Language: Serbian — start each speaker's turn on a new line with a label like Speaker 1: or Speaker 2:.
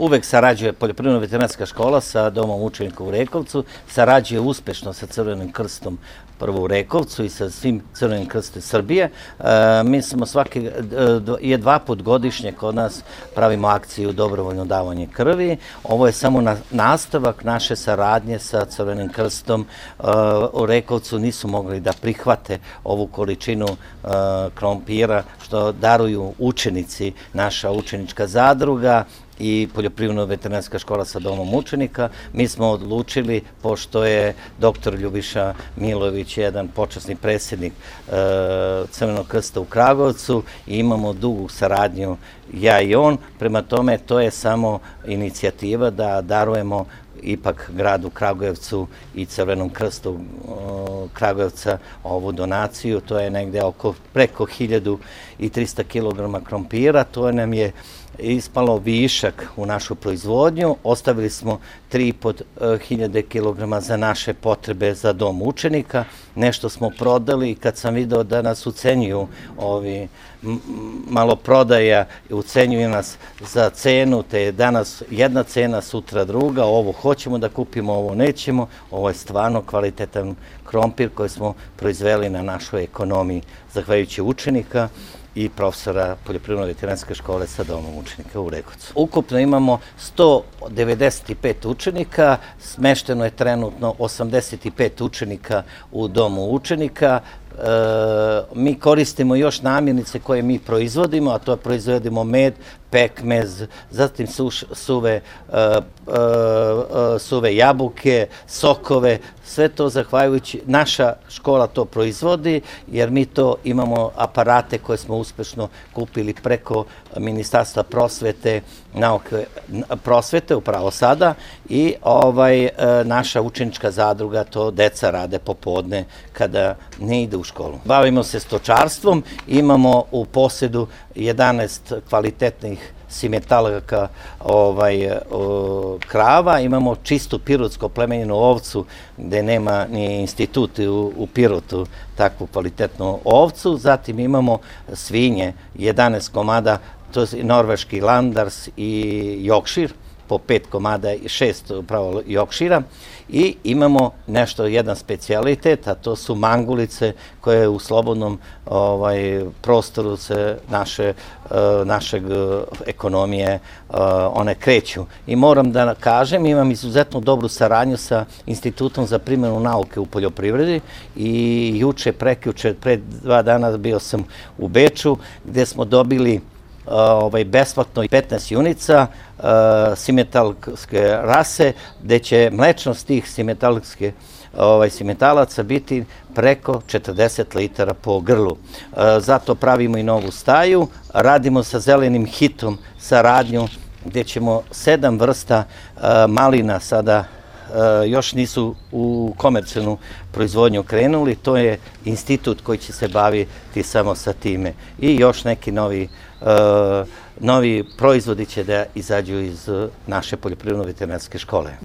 Speaker 1: uvek sarađuje Poljoprivredno-veterinarska škola sa Domom učenika u Rekovcu, sarađuje uspešno sa Crvenim krstom prvo u Rekovcu i sa svim Crvenim krstom Srbije. Mi smo dva put godišnje kod nas pravimo akciju dobrovoljno davanje krvi. Ovo je samo nastavak naše saradnje sa Crvenim krstom. U Rekovcu nisu mogli da prihvate ovu količinu krompira što daruju učenici, naša učenička zadruga i Poljoprivredno-veterinarska škola sa Domom učenika. Mi smo odlučili, pošto je dr. Ljubiša Milović jedan počasni predsjednik Crvenog krsta u Kragujevcu i imamo dugu saradnju ja i on, prema tome to je samo inicijativa da darujemo ipak gradu Kragujevcu i Crvenom krstu Kragujevca ovu donaciju. To je negde preko 1300 kg krompira. To nam je ispalo višak u našu proizvodnju. Ostavili smo 3500 kg za naše potrebe za dom učenika. Nešto smo prodali i kad sam video da nas ucenjuju ovi maloprodaja, ucenjuju nas za cenu, te je danas jedna cena, sutra druga, ovo hoćemo da kupimo, ovo nećemo. Ovo je stvarno kvalitetan krompir koji smo proizveli na našoj ekonomiji, zahvaljujući učenika i profesora Poljoprivredno-veterinarske škole sa Domom učenika u Rekovcu. Ukupno imamo 195 učenika, smešteno je trenutno 85 učenika u Domu učenika. Mi koristimo još namirnice koje mi proizvodimo, a to proizvodimo med, pekmez, zatim suve jabuke, sokove, sve to zahvaljujući naša škola to proizvodi, jer mi to imamo aparate koje smo uspešno kupili preko Ministarstva prosvete, nauke, prosvete upravo sada i naša učenička zadruga to deca rade popodne kada ne ide u školu. Bavimo se stočarstvom, imamo u posedu 11 kvalitetnih simetalaka krava, imamo čistu pirotsko plemenjenu ovcu gde nema ni institut u Pirotu takvu kvalitetnu ovcu, zatim imamo svinje, 11 komada, to je norveški landars i jokšir, po 5 komada i 6 upravo jokšira i imamo jedan specijalitet, a to su mangulice koje u slobodnom prostoru se našeg ekonomije one kreću. I moram da kažem, imam izuzetno dobru saradnju sa Institutom za primjenu nauke u poljoprivredi i juče, prekjuče, pre 2 dana bio sam u Beču gde smo dobili besplatno 15 junica simetalske rase, gde će mlečnost tih simetalaca biti preko 40 litara po grlu. Zato pravimo i novu staju, radimo sa Zelenim hitom saradnju gde ćemo 7 vrsta malina sada još nisu u komercijalnu proizvodnju krenuli, to je institut koji će se baviti samo sa time. I još neki novi proizvodi će da izađu iz naše poljoprivredno-veterinarske škole.